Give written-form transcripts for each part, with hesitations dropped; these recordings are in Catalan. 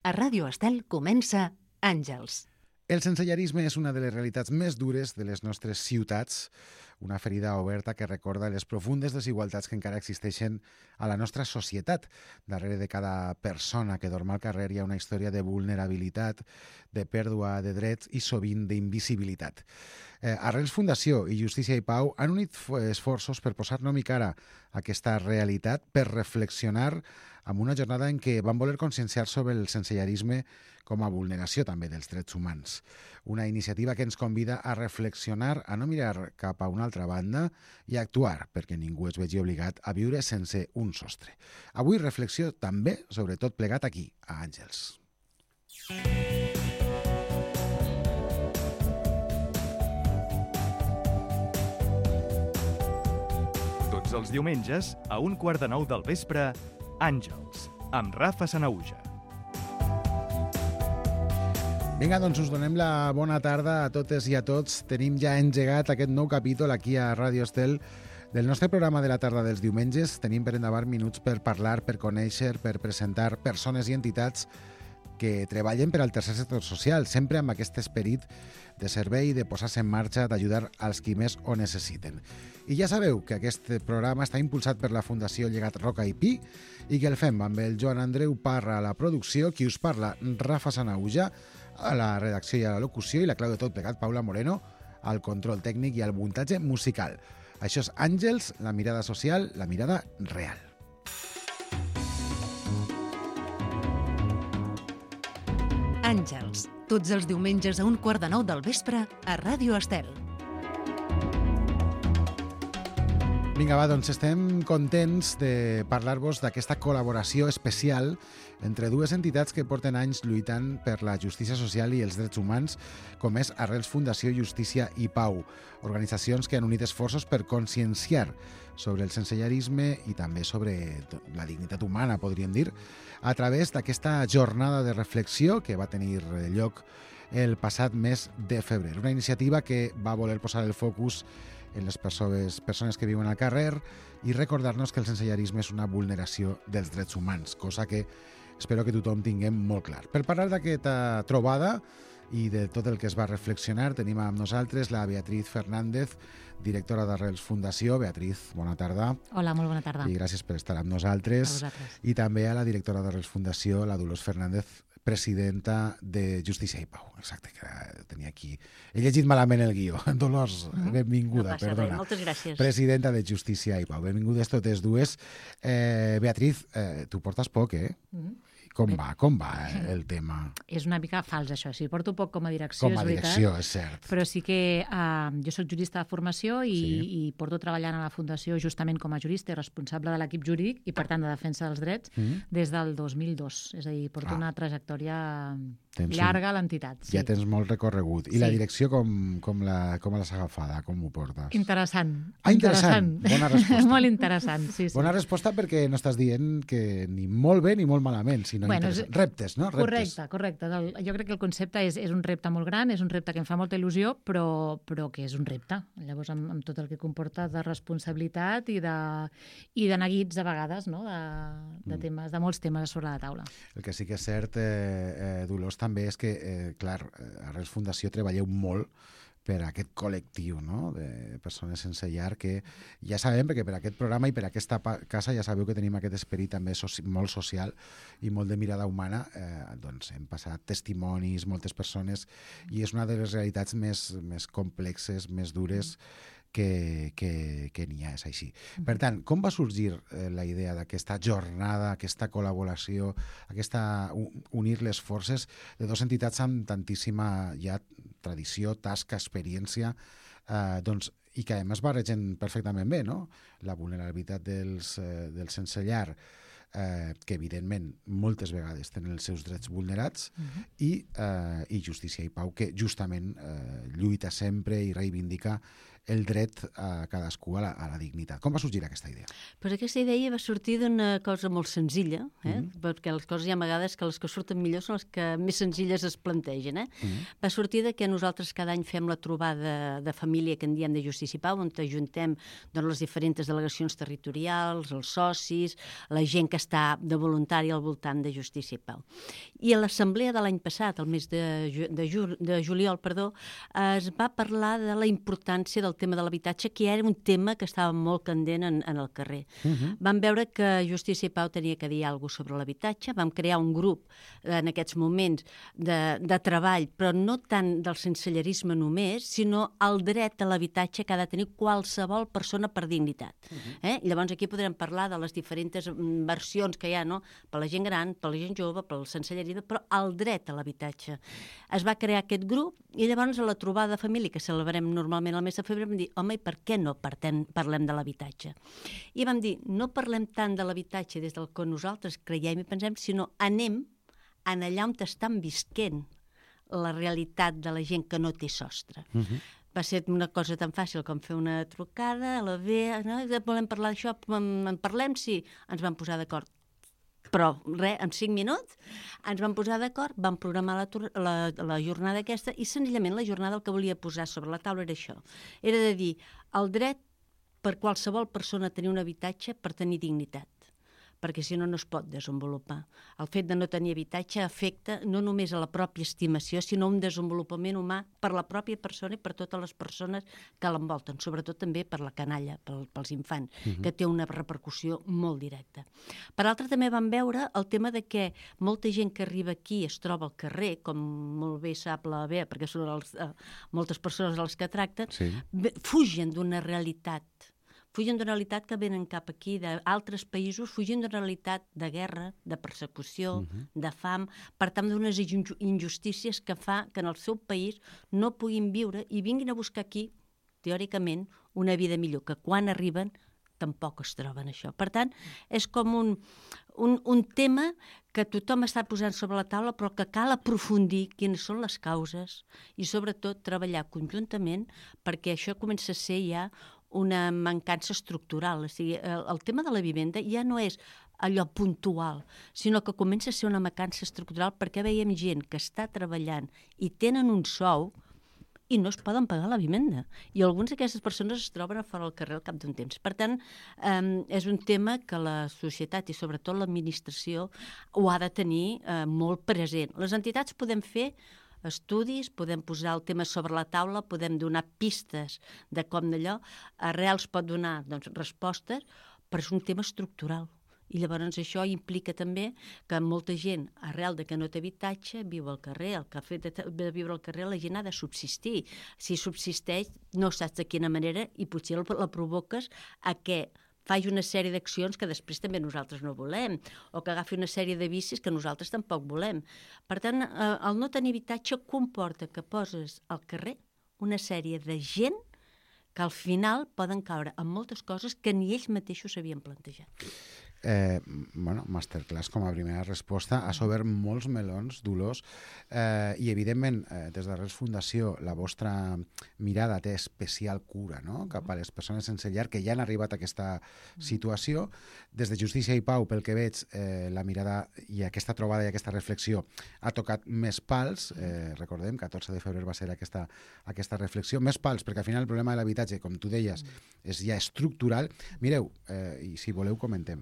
A Ràdio Estel comença Àngels. El sensellarisme és una de les realitats més dures de les nostres ciutats, una ferida oberta que recorda les profundes desigualtats que encara existeixen a la nostra societat. Darrere de cada persona que dorm al carrer hi ha una història de vulnerabilitat, de pèrdua de drets i sovint d'invisibilitat. Arrels Fundació i Justícia i Pau han unit esforços per posar nom i cara a aquesta realitat, per reflexionar amb una jornada en què van voler conscienciar sobre el sensellarisme com a vulneració també dels drets humans. Una iniciativa que ens convida a reflexionar, a no mirar cap a una altra banda i a actuar perquè ningú es vegi obligat a viure sense un sostre. Avui reflexió també sobre tot plegat aquí, a Àngels. Tots els diumenges, a 8:45 del vespre, Àngels, amb Rafa Sanahuja. Vinga, doncs us donem la bona tarda a totes i a tots. Tenim ja engegat aquest nou capítol aquí a Ràdio Estel del nostre programa de la tarda dels diumenges. Tenim per endavant minuts per parlar, per conèixer, per presentar persones i entitats que treballen per al tercer sector social, sempre amb aquest esperit de servei, de posar-se en marxa, d'ajudar als qui més ho necessiten. I ja sabeu que aquest programa està impulsat per la Fundació Llegat Roca i Pi i que el fem amb el Joan Andreu Parra a la producció, qui us parla, Rafa Sanahuja, a la redacció i a la locució, i la clau de tot plegat, Paula Moreno, al control tècnic i al muntatge musical. Això és Àngels, la mirada social, la mirada real. Àngels, tots els diumenges a 8:45 del vespre a Ràdio Estel. Vinga, va, doncs estem contents de parlar-vos d'aquesta col·laboració especial entre dues entitats que porten anys lluitant per la justícia social i els drets humans, com és Arrels Fundació, Justícia i Pau, organitzacions que han unit esforços per conscienciar sobre el sensellarisme i també sobre la dignitat humana, podríem dir, a través d'aquesta jornada de reflexió que va tenir lloc el passat mes de febrer. Una iniciativa que va voler posar el focus en les persones que viuen al carrer i recordar-nos que el sensellarisme és una vulneració dels drets humans, cosa que espero que tothom tinguem molt clar. Per parlar d'aquesta trobada i de tot el que es va reflexionar, tenim amb nosaltres la Beatriz Fernández, directora d'Arrels Fundació. Beatriz, bona tarda. Hola, molt bona tarda. I gràcies per estar amb nosaltres. A vosaltres. I també a la directora d'Arrels Fundació, la Dolors Fernández, presidenta de Justícia i Pau. Exacte, que tenia aquí. He llegit malament el guió. Dolors, benvinguda, No passa perdona. res, moltes gràcies. Presidenta de Justícia i Pau. Benvingudes totes dues. Beatriz, tu portes poc, eh? Com va el tema? És una mica fals, això. Sí, porto poc com a direcció, Com a és veritat. direcció, és cert. Però sí que jo soc jurista de formació i porto treballant a la Fundació justament com a jurista i responsable de l'equip jurídic i, per tant, de defensa dels drets des del 2002. És a dir, porto una trajectòria llarga a l'entitat. Sí. Ja tens molt recorregut. I la direcció com l'has agafada? Com ho portes? Interessant. Interessant. Bona resposta. Molt interessant, sí. Bona resposta perquè no estàs dient que ni molt bé ni molt malament, sinó reptes, no? Reptes. Correcte. Jo crec que el concepte és un repte molt gran, és un repte que em fa molta il·lusió, però que és un repte. Llavors, amb tot el que comporta de responsabilitat i de neguits, a vegades, no? De molts temes sobre la taula. El que sí que és cert, Dolors, també és que, clar, a Arrels Fundació treballeu molt per a aquest col·lectiu, no?, de persones sense llar, que ja sabem, perquè per aquest programa i per aquesta casa ja sabeu que tenim aquest esperit també molt social i molt de mirada humana. Doncs hem passat testimonis, moltes persones, i és una de les realitats més complexes, més dures que n'hi ha, és així. Per tant, com va sorgir la idea d'aquesta jornada, aquesta col·laboració, unir les forces de dues entitats amb tantíssima ja tradició, tasca, experiència, i que a més barregen perfectament bé, no? La vulnerabilitat dels sense llar, que evidentment moltes vegades tenen els seus drets vulnerats, i Justícia i Pau, que justament lluita sempre i reivindica el dret a cadascú a la dignitat. Com va sorgir aquesta idea? Pues aquesta idea va sortir d'una cosa molt senzilla, perquè les coses hi ha vegades que les que surten millor són les que més senzilles es plantegen. Va sortir de que nosaltres cada any fem la trobada de família que en diem de Justícia i Pau, on ajuntem les diferents delegacions territorials, els socis, la gent que està de voluntari al voltant de Justícia i Pau. I a l'assemblea de l'any passat, el mes de juliol, es va parlar de la importància del tema de l'habitatge, que era un tema que estava molt candent en el carrer. Vam veure que Justícia i Pau tenia que dir alguna cosa sobre l'habitatge, vam crear un grup en aquests moments de treball, però no tant del sensellerisme només, sinó el dret a l'habitatge que ha de tenir qualsevol persona per dignitat. Llavors aquí podrem parlar de les diferents versions que hi ha, no? Per la gent gran, per la gent jove, pel sensellerisme, però el dret a l'habitatge. Es va crear aquest grup i llavors a la trobada de família que celebrem normalment el mes de febrer vam dir, home, i per què no parlem de l'habitatge? I vam dir, no parlem tant de l'habitatge des del que nosaltres creiem i pensem, sinó anem allà on estan visquent la realitat de la gent que no té sostre. Va ser una cosa tan fàcil com fer una trucada a la Bea, no? Volem parlar d'això, en parlem, sí, ens vam posar d'acord. Però res, en 5 minuts ens vam posar d'acord, vam programar la jornada aquesta i senzillament la jornada el que volia posar sobre la taula era això. Era de dir el dret per qualsevol persona a tenir un habitatge per tenir dignitat, perquè si no, no es pot desenvolupar. El fet de no tenir habitatge afecta no només a la pròpia estimació, sinó un desenvolupament humà per la pròpia persona i per totes les persones que l'envolten, sobretot també per la canalla, pels infants, que té una repercussió molt directa. Per altra, també vam veure el tema de que molta gent que arriba aquí es troba al carrer, com molt bé sap la Bea, perquè són moltes persones a les que tracten, fugen d'una realitat que venen cap aquí d'altres països, fugint d'una realitat de guerra, de persecució, de fam, per tant d'unes injustícies que fa que en el seu país no puguin viure i vinguin a buscar aquí, teòricament, una vida millor, que quan arriben tampoc es troben això. Per tant, és com un tema que tothom està posant sobre la taula, però que cal aprofundir quines són les causes i, sobretot, treballar conjuntament perquè això comença a ser ja una mancança estructural. O sigui, el tema de la vivenda ja no és allò puntual, sinó que comença a ser una mancança estructural perquè veiem gent que està treballant i tenen un sou i no es poden pagar la vivenda. I algunes d'aquestes persones es troben a fora del carrer al cap d'un temps. Per tant, és un tema que la societat i sobretot l'administració ho ha de tenir molt present. Les entitats podem fer estudis, podem posar el tema sobre la taula, podem donar pistes de com d'allò, Arrels pot donar respostes, però és un tema estructural. I llavors això implica també que molta gent, arrel de que no té habitatge, viu al carrer. El que ha fet de viure al carrer la gent ha de subsistir. Si subsisteix, no saps de quina manera i potser la provoques a que faci una sèrie d'accions que després també nosaltres no volem, o que agafi una sèrie de vicis que nosaltres tampoc volem. Per tant, el no tenir habitatge comporta que poses al carrer una sèrie de gent que al final poden caure en moltes coses que ni ells mateixos s'havien plantejat. Masterclass com a primera resposta. Has obert molts melons, Dolors, i evidentment des d'Arrels Fundació la vostra mirada té especial cura, no?, cap a les persones sense llar que ja han arribat a aquesta situació. Des de Justícia i Pau, pel que veig, la mirada i aquesta trobada i aquesta reflexió ha tocat més pals. Recordem, 14 de febrer va ser aquesta reflexió. Més pals, perquè al final el problema de l'habitatge, com tu deies, és ja estructural. Mireu, i si voleu comentem.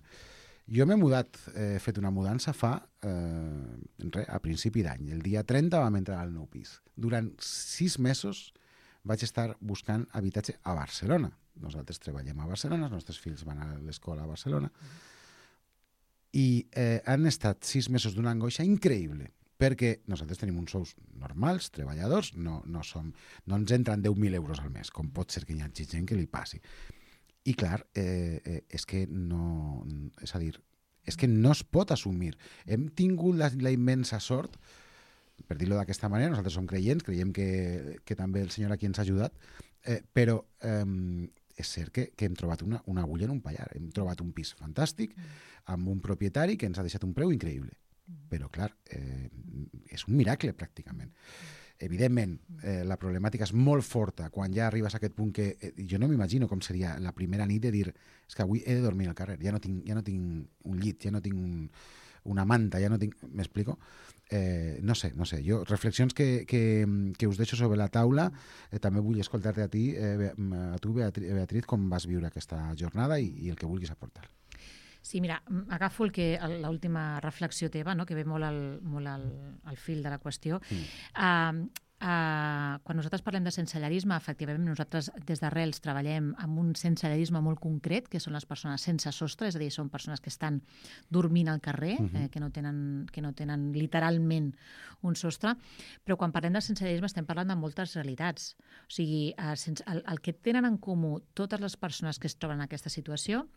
Jo m'he mudat, he fet una mudança a principi d'any. El dia 30 vam entrar al nou pis. Durant 6 mesos vaig estar buscant habitatge a Barcelona. Nosaltres treballem a Barcelona, els nostres fills van a l'escola a Barcelona. I han estat 6 mesos d'una angoixa increïble, perquè nosaltres tenim uns sous normals, treballadors, no ens entren 10.000 euros al mes, com pot ser que hi hagi gent que li passi. I clar, és que no es pot assumir. Hem tingut la immensa sort, per dir-ho d'aquesta manera, nosaltres som creients, creiem que també el Senyor aquí ens ha ajudat, però és cert que hem trobat una agulla en un pallar. Hem trobat un pis fantàstic, amb un propietari que ens ha deixat un preu increïble. Però clar, és un miracle pràcticament. evidentment, la problemàtica és molt forta quan ja arribes a aquest punt que jo no m'imagino com seria la primera nit de dir és que avui he de dormir al carrer, ja no tinc un llit, ja no tinc una manta, ja no tinc... M'explico? No sé, jo, reflexions que us deixo sobre la taula. També vull escoltar-te a tu, Beatriz, com vas viure aquesta jornada i el que vulguis aportar. Sí, mira, agafo l'última reflexió teva, no?, que ve molt al fil de la qüestió. Quan nosaltres parlem de sensellarisme, efectivament, nosaltres des d'Arrels treballem amb un sensellarisme molt concret, que són les persones sense sostre, és a dir, són persones que estan dormint al carrer, que no tenen literalment un sostre, però quan parlem de sensellarisme estem parlant de moltes realitats. O sigui, el que tenen en comú totes les persones que es troben en aquesta situació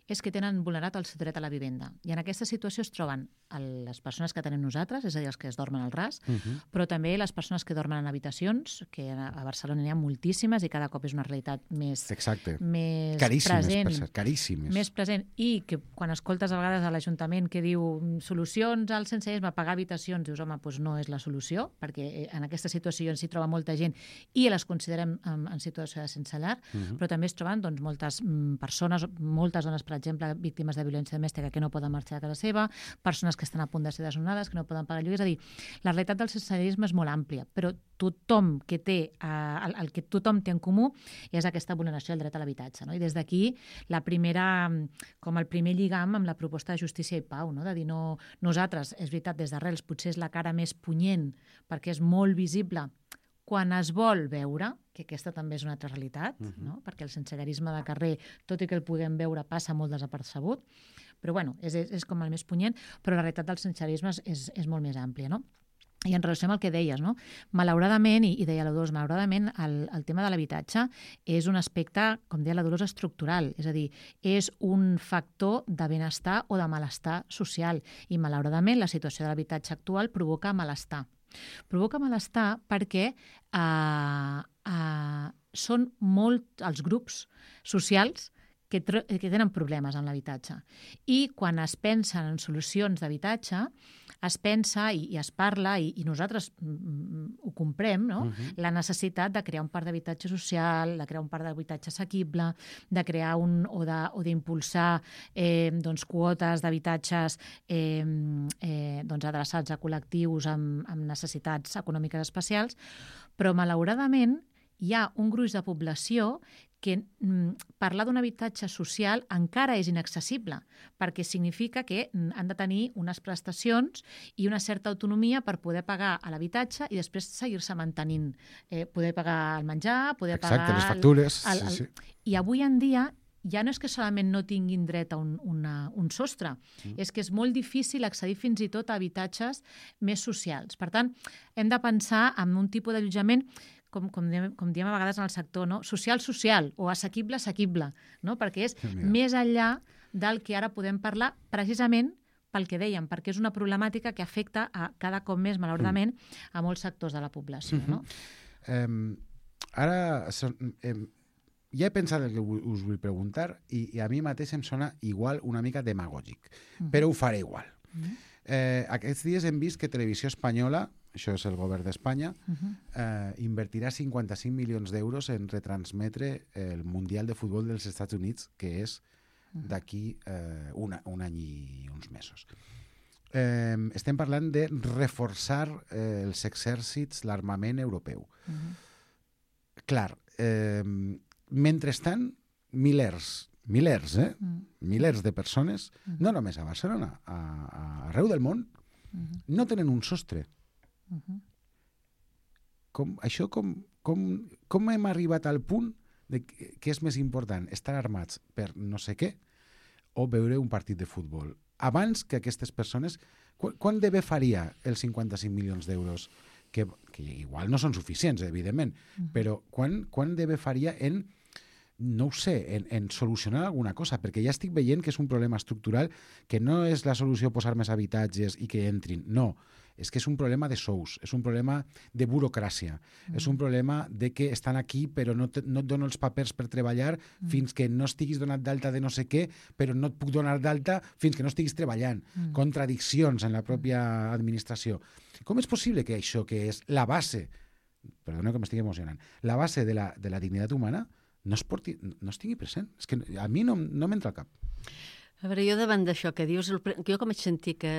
és que tenen vulnerat el seu dret a la vivenda. I en aquesta situació es troben les persones que tenim nosaltres, és a dir, els que es dormen al ras, però també les persones que dormen en habitacions, que a Barcelona n'hi ha moltíssimes i cada cop és una realitat més present. Caríssimes. Més present. I que quan escoltes a vegades a l'Ajuntament que diu solucions al sensellarisme, pagar habitacions, dius, home, doncs no és la solució, perquè en aquesta situació s'hi troba molta gent i les considerem en situació de sense llar, però també es troben moltes persones, moltes dones, per exemple, víctimes de violència domèstica que no poden marxar a casa seva, persones que estan a punt de ser desnonades, que no poden pagar lloguer. És a dir, la realitat del sensellarisme és molt àmplia, però tothom que té, el que tothom té en comú és aquesta vulneració del dret a l'habitatge. No? I des d'aquí, el primer lligam amb la proposta de Justícia i Pau, no? De dir, no, nosaltres, és veritat, des d'Arrels potser és la cara més punyent, perquè és molt visible quan es vol veure, que aquesta també és una altra realitat, no? Perquè el sensellarisme de carrer, tot i que el puguem veure, passa molt desapercebut, però bueno, és com el més punyent, però la realitat del sensellarisme és molt més àmplia, no? I en relació amb el que deies, no? Malauradament, i deia la Dolors, malauradament el tema de l'habitatge és un aspecte, com deia la Dolors, estructural, és a dir, és un factor de benestar o de malestar social, i malauradament la situació de l'habitatge actual provoca malestar. Provoca malestar perquè són molt els grups socials que tenen problemes en l'habitatge. I quan es pensen en solucions d'habitatge, es pensa i es parla, i nosaltres ho comprem, no? La necessitat de crear un parc d'habitatge social, de crear un parc d'habitatge assequible, de crear o d'impulsar quotes d'habitatges adreçats a col·lectius amb necessitats econòmiques especials, però malauradament hi ha un gruix de població que parlar d'un habitatge social encara és inaccessible, perquè significa que han de tenir unes prestacions i una certa autonomia per poder pagar a l'habitatge i després seguir-se mantenint. Poder pagar el menjar, poder pagar... Exacte, les factures. Sí. I avui en dia ja no és que solament no tinguin dret a un sostre, és que és molt difícil accedir fins i tot a habitatges més socials. Per tant, hem de pensar en un tipus d'allotjament com diem a vegades en el sector, no? Social o assequible, no? Perquè és més enllà del que ara podem parlar precisament pel que dèiem, perquè és una problemàtica que afecta cada cop més, malauradament, a molts sectors de la població. No? Ara, ja he pensat el que us vull preguntar i a mi mateix em sona igual una mica demagògic, però ho faré igual. Aquests dies hem vist que Televisió Espanyola, això és el govern d'Espanya, invertirà 55 milions d'euros en retransmetre el Mundial de Futbol dels Estats Units, que és d'aquí un any i uns mesos. Estem parlant de reforçar els exèrcits, l'armament europeu. Clar, mentrestant, milers de persones, no només a Barcelona, arreu del món, no tenen un sostre. Com hem arribat al punt de que és més important estar armats per no sé què o veure un partit de futbol? Abans que aquestes persones, quan de bé faria els 55 milions d'euros, que igual no són suficients, evidentment, però quan de bé faria en, no ho sé, en solucionar alguna cosa? Perquè ja estic veient que és un problema estructural, que no és la solució posar més habitatges i que entrin, no. És que és un problema de sous, és un problema de burocràcia, és un problema de que estan aquí però no et dono els papers per treballar fins que no estiguis donat d'alta de no sé què, però no et puc donar d'alta fins que no estiguis treballant. Contradiccions en la pròpia administració. Com és possible que això, que és la base perdoneu que m'estigui emocionant, la base de la dignitat humana no es tingui present. És que a mi no m'entra al cap. A veure, jo davant d'això que dius, jo com vaig sentir que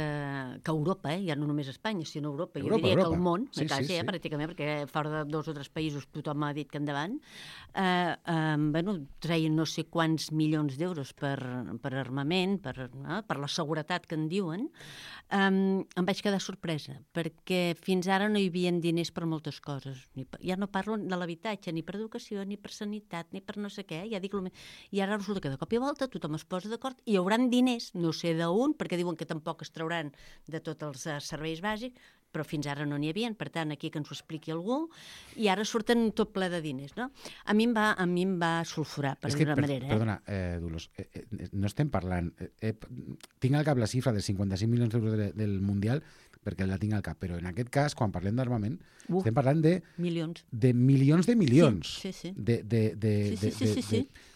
Europa, ja no només Espanya, sinó Europa, jo diria que el món, quasi, pràcticament, perquè fora de 2 o 3 països tothom ha dit que endavant, treien no sé quants milions d'euros per armament, per la seguretat que en diuen, em vaig quedar sorpresa, perquè fins ara no hi havia diners per moltes coses. Ja no parlo de l'habitatge, ni per educació, ni per sanitat, ni per no sé què, ja dic el més. I ara resulta que de cop i volta tothom es posa d'acord i hi haurà diners, no sé d'on, perquè diuen que tampoc es trauran de tots els serveis bàsics, però fins ara no n'hi havia, per tant, aquí que ens ho expliqui algú, i ara surten tot ple de diners, no? A mi em va sulfurar, per dir-ho d'una manera. Perdona, Dolors, no estem parlant... tinc al cap la xifra de 55 milions d'euros del Mundial, perquè la tinc al cap, però en aquest cas, quan parlem d'armament, estem parlant de... Milions. De milions de milions. Sí. De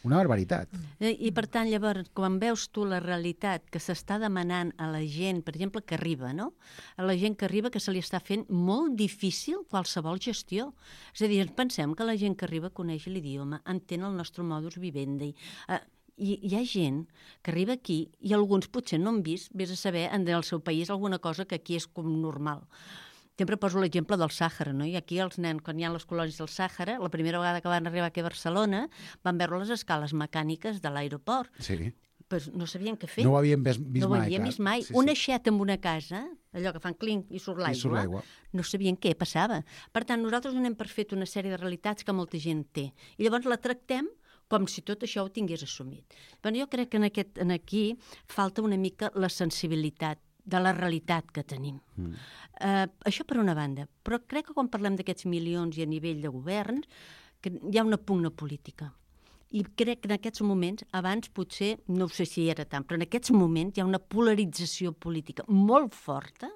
una barbaritat. I per tant, llavors, quan veus tu la realitat que s'està demanant a la gent, per exemple, que arriba, no? A la gent que arriba que se li està fent molt difícil qualsevol gestió. És a dir, pensem que la gent que arriba coneix l'idioma, entén el nostre modus vivendi, i hi ha gent que arriba aquí i alguns potser no han vist, vés a saber, en el seu país alguna cosa que aquí és com normal. Sempre poso l'exemple del Sàhara, no? I aquí els nens, quan hi ha les colònies del Sàhara, la primera vegada que van arribar aquí a Barcelona, van veure les escales mecàniques de l'aeroport. Sí. Pues no sabien què fer. No ho havien vist mai. No ho havien vist mai. Un aixet en una casa, allò que fan clinc i surt l'aigua, no sabien què passava. Per tant, nosaltres donem per fet una sèrie de realitats que molta gent té. I llavors la tractem com si tot això ho tingués assumit. Però jo crec que aquí falta una mica la sensibilitat de la realitat que tenim. Això per una banda. Però crec que quan parlem d'aquests milions i a nivell de govern, que hi ha una pugna política. I crec que en aquests moments, abans potser, no sé si era tant, però en aquests moments hi ha una polarització política molt forta,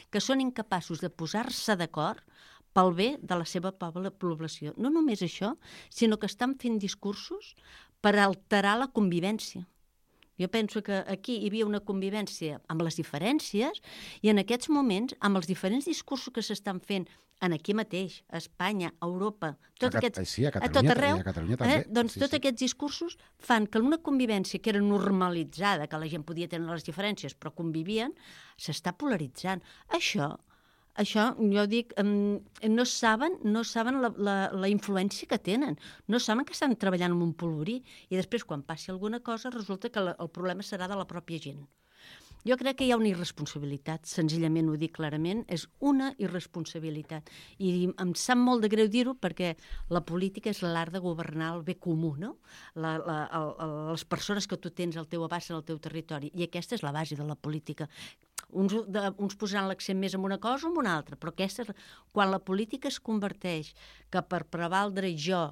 que són incapaços de posar-se d'acord pel bé de la seva població. No només això, sinó que estan fent discursos per alterar la convivència. Jo penso que aquí hi havia una convivència amb les diferències i en aquests moments, amb els diferents discursos que s'estan fent aquí mateix, a Espanya, a Europa, a tot arreu, doncs tots aquests discursos fan que una convivència que era normalitzada, que la gent podia tenir les diferències, però convivien, s'està polaritzant. Això jo dic, no saben la influència que tenen, no saben que estan treballant en un polvorí i després quan passi alguna cosa resulta que el problema serà de la pròpia gent. Jo crec que hi ha una irresponsabilitat, senzillament ho dic clarament, és una irresponsabilitat. I em sap molt de greu dir-ho perquè la política és l'art de governar el bé comú, no? Les persones que tu tens al teu abast en el teu territori. I aquesta és la base de la política. Uns posaran l'accent més en una cosa o en una altra, però aquesta és... Quan la política es converteix que per prevaldre jo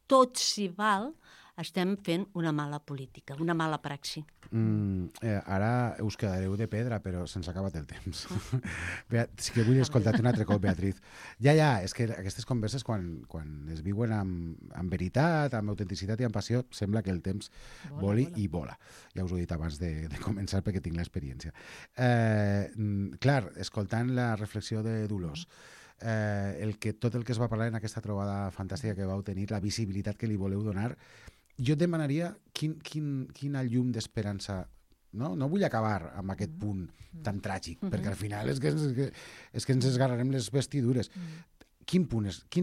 tot s'hi val, estem fent una mala política, una mala praxi. Ara us quedareu de pedra, però se'ns ha acabat el temps. Sí que vull escoltar-te un altre cop, Beatriz. Ja, és que aquestes converses, quan es viuen amb veritat, amb autenticitat i amb passió, sembla que el temps voli i vola. Ja us ho he dit abans de començar perquè tinc l'experiència. Clar, escoltant la reflexió de Dolors, tot el que es va parlar en aquesta trobada fantàstica que vau tenir, la visibilitat que li voleu donar, jo et demanaria quina llum d'esperança... No vull acabar amb aquest punt tan tràgic, perquè al final és que ens esgarrarem les vestidures. Quin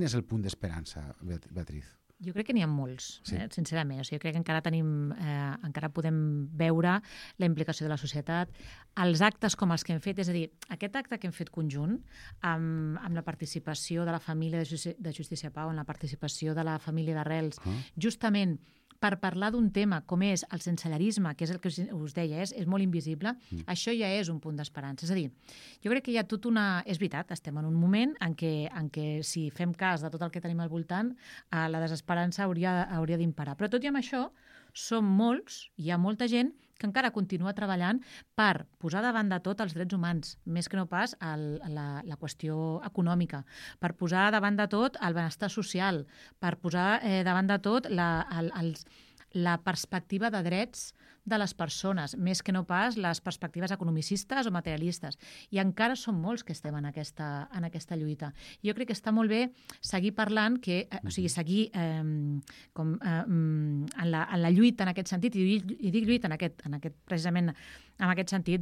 és el punt d'esperança, Beatriz? Jo crec que n'hi ha molts, sincerament. O sigui, crec que encara podem veure la implicació de la societat, els actes com els que hem fet, és a dir, aquest acte que hem fet conjunt, amb la participació de la família de Justícia Pau, amb la participació de la família d'Arrels, justament per parlar d'un tema com és el sensellarisme, que és el que us deia, és molt invisible, això ja és un punt d'esperança. És a dir, jo crec que hi ha tot una... És veritat, estem en un moment en què si fem cas de tot el que tenim al voltant, la desesperança hauria d'imparar. Però tot i amb això, som molts, hi ha molta gent que encara continua treballant per posar davant de tot els drets humans, més que no pas la qüestió econòmica, per posar davant de tot el benestar social, per posar davant de tot la perspectiva de drets de les persones, més que no pas les perspectives economicistes o materialistes. I encara som molts que estem en aquesta lluita. Jo crec que està molt bé seguir parlant, seguir en la lluita en aquest sentit, i dic lluita precisament en aquest sentit,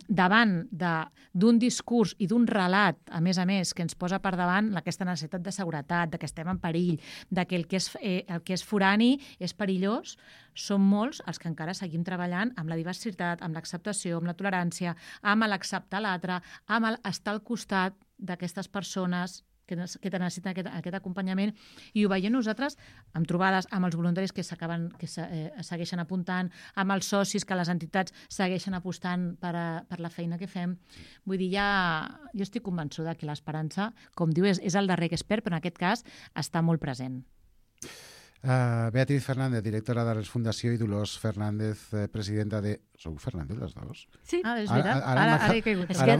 davant d'un discurs i d'un relat, a més, que ens posa per davant aquesta necessitat de seguretat, de que estem en perill, de que el que és forani és perillós, som molts els que encara seguim treballant amb la diversitat, amb l'acceptació, amb la tolerància, amb l'acceptar l'altre, amb l'estar al costat d'aquestes persones que necessiten aquest acompanyament, i ho veiem nosaltres amb trobades, amb els voluntaris que segueixen apuntant, amb els socis que les entitats segueixen apostant per la feina que fem. Vull dir, jo estic convençuda que l'esperança, com diu, és el darrer que es perd, però en aquest cas està molt present. Beatriz Fernández, directora de la Fundació, i Dolors Fernández, presidenta de... Sou Fernández, les dues? Sí. És veritat. Ara he caigut. És que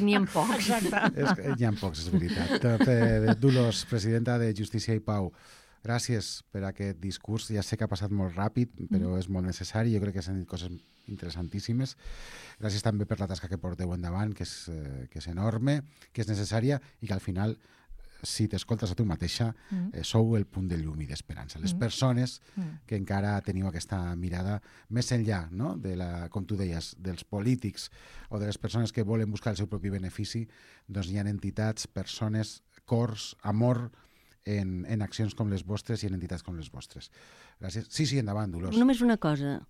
n'hi ha pocs. Exacte. N'hi ha pocs, és veritat. Dolors, presidenta de Justícia i Pau, gràcies per aquest discurs. Ja sé que ha passat molt ràpid, però és molt necessari. Jo crec que s'han dit coses interessantíssimes. Gràcies també per la tasca que porteu endavant, que és enorme, que és necessària i que al final, si t'escoltes a tu mateixa, sou el punt de llum i d'esperança. Les persones que encara teniu aquesta mirada més enllà, no? Com tu deies, dels polítics o de les persones que volen buscar el seu propi benefici, doncs hi ha entitats, persones, cors, amor en accions com les vostres i en entitats com les vostres. Gràcies. Sí, endavant, Dolors. Només una cosa.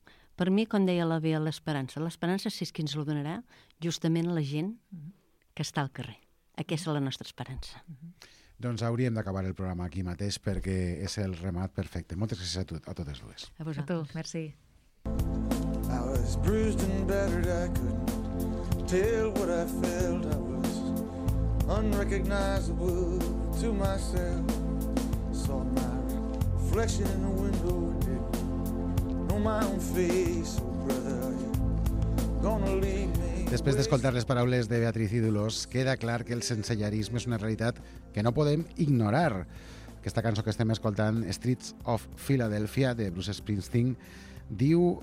Per mi, com deia la Bea, l'esperança si és qui ens la donarà, justament la gent que està al carrer. Aquesta és la nostra esperança. Doncs hauríem d'acabar el programa aquí mateix perquè és el remat perfecte. Moltes gràcies a totes dues. A vosaltres. A tu, merci. I was bruised and battered, I couldn't tell what I felt. I was unrecognizable to myself. Saw my reflection in the window and didn't know my own face. Oh, brother, are you gonna leave me? Després d'escoltar les paraules de Beatriz i Dolors, queda clar que el sensellarisme és una realitat que no podem ignorar. Aquesta cançó que estem escoltant, Streets of Philadelphia, de Bruce Springsteen, diu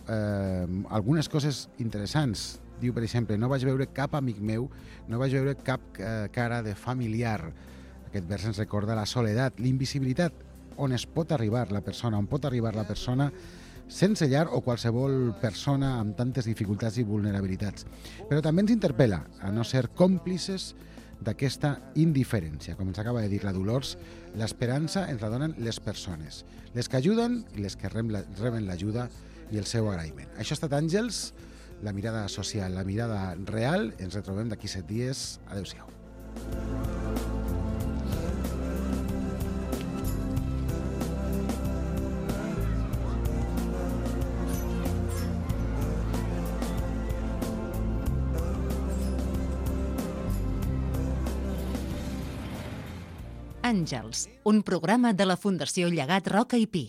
algunes coses interessants. Diu, per exemple, no vaig veure cap amic meu, no vaig veure cap cara de familiar. Aquest vers ens recorda la soledat, l'invisibilitat, on pot arribar la persona sense llar o qualsevol persona amb tantes dificultats i vulnerabilitats. Però també ens interpel·la a no ser còmplices d'aquesta indiferència. Com ens acaba de dir la Dolors, l'esperança ens la donen les persones, les que ajuden i les que reben l'ajuda i el seu agraïment. Això ha estat Àngels, la mirada social, la mirada real. Ens retrobem d'aquí 7 dies. Adéu-siau. Àngels, un programa de la Fundació Llegat Roca i Pi.